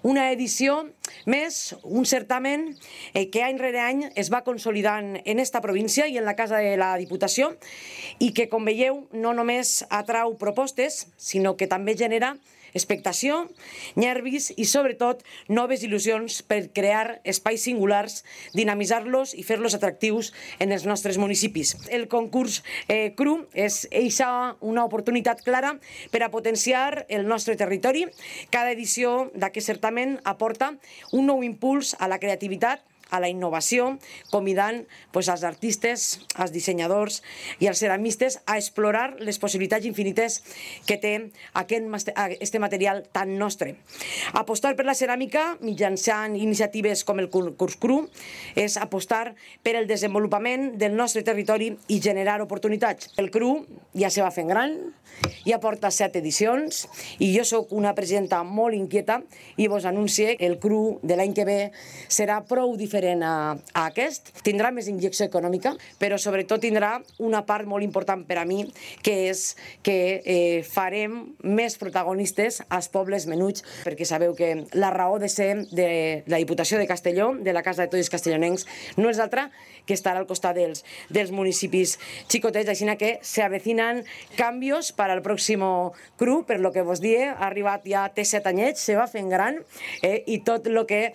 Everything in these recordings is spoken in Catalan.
Una edició més, un certamen que any rere any es va consolidant en esta província i en la Casa de la Diputació i que, com veieu, no només atrau propostes, sinó que també genera expectació, nervis i, sobretot, noves il·lusions per crear espais singulars, dinamitzar-los i fer-los atractius en els nostres municipis. El concurs CRU és una oportunitat clara per a potenciar el nostre territori. Cada edició d'aquest certamen aporta un nou impuls a la creativitat, a la innovació, convidant els artistes, els dissenyadors i els ceramistes a explorar les possibilitats infinites que té aquest material tan nostre. Apostar per la ceràmica mitjançant iniciatives com el concurs CRU és apostar per el desenvolupament del nostre territori i generar oportunitats. El CRU ja se va fent gran, ja porta 7 edicions i jo soc una presidenta molt inquieta i vos anuncio que el CRU de l'any que ve serà prou diferent a aquest. Tindrà més injecció econòmica, però sobretot tindrà una part molt important per a mi, que és que farem més protagonistes als pobles menuts, perquè sabeu que la raó de ser de la Diputació de Castelló, de la Casa de Tots els Castellonencs, no és altra que estar al costat dels municipis xicotets, així que se avecinan canvis per al pròxim CRU, per lo que vos die, ha arribat ja, té 7 anyets, se va fent gran i tot el que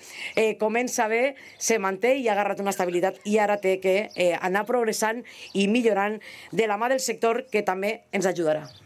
comença bé se manté i ha agarrat una estabilitat i ara té que anar progressant i millorant de la mà del sector que també ens ajudarà.